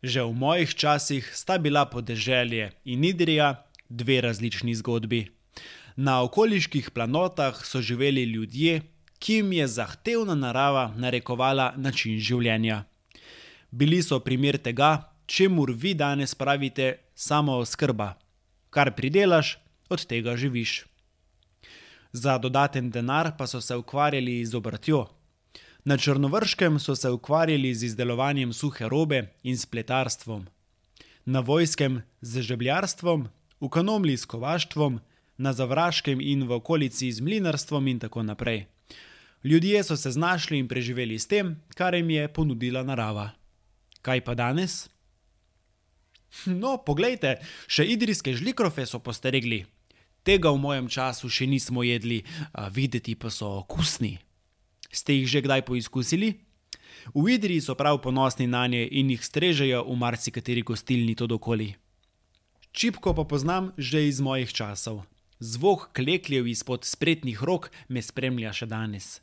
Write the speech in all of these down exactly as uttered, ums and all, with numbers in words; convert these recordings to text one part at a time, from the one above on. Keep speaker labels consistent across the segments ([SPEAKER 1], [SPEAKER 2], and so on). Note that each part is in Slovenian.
[SPEAKER 1] Že v mojih časih sta bila podeželje in Idrija dve različni zgodbi. Na okoliških planotah so živeli ljudje, ki jim je zahtevna narava narekovala način življenja. Bili so primer tega, čemur vi danes pravite samooskrba. Kar pridelaš, od tega živiš. Za dodaten denar pa so se ukvarjali z obrtjo. Na Črnovrškem so se ukvarjali z izdelovanjem suhe robe in s pletarstvom. Na Vojskem z žebljarstvom, v Kanomlji s kovaštvom, na Zavraškem in v okolici z mlinarstvom in tako naprej. Ljudje so se znašli in preživeli s tem, kar jim je ponudila narava. Kaj pa danes? No, poglejte, še idrijske žlikrofe so postregli. Tega v mojem času še nismo jedli, a videti pa so okusni. Ste jih že kdaj poizkusili? V Idriji so prav ponosni nanje in jih strežejo v marsikateri gostilni tod okoli. Čipko pa poznam že iz mojih časov. Zvok klekljev izpod spretnih rok me spremlja še danes.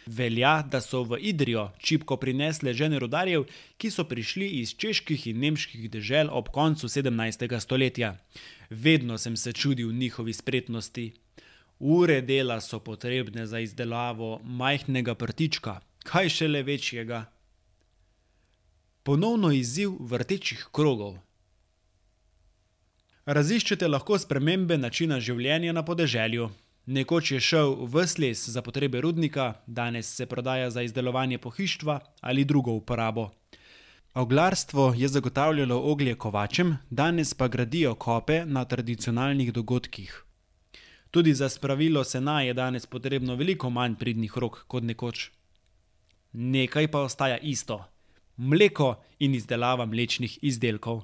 [SPEAKER 1] Velja, da so v Idrijo čipko prinesle žene rudarjev, ki so prišli iz čeških in nemških dežel ob koncu sedemnajstega stoletja. Vedno sem se čudil njihovi spretnosti. Ure dela so potrebne za izdelavo majhnega prtička, kaj šele večjega. Ponovno izziv vrtečih krogov. Raziščete lahko spremembe načina življenja na podeželju. Nekoč je šel ves les za potrebe rudnika, danes se prodaja za izdelovanje pohištva ali drugo uporabo. Oglarstvo je zagotavljalo oglje kovačem, danes pa gradijo kope na tradicionalnih dogodkih. Tudi za spravilo sena je danes potrebno veliko manj pridnih rok kot nekoč. Nekaj pa ostaja isto. Mleko in izdelava mlečnih izdelkov.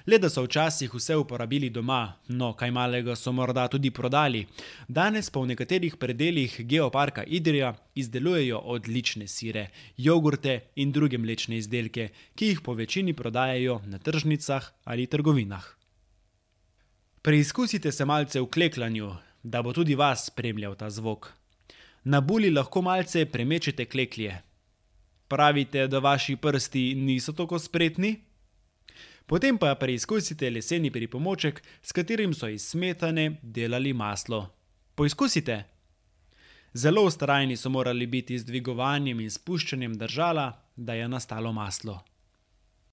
[SPEAKER 1] Le da so včasih vse uporabili doma, no kaj malega so morda tudi prodali. Danes pa v nekaterih predelih Geoparka Idrija izdelujejo odlične sire, jogurte in druge mlečne izdelke, ki jih po večini prodajajo na tržnicah ali trgovinah. Preizkusite se malce v klekljanju, da bo tudi vas spremljal ta zvok. Na buli lahko malce premečete kleklje. Pravite, da vaši prsti niso tako spretni? Potem pa preizkusite leseni pripomoček, s katerim so iz smetane delali maslo. Poizkusite! Zelo vztrajni so morali biti z dvigovanjem in spuščanjem držala, da je nastalo maslo.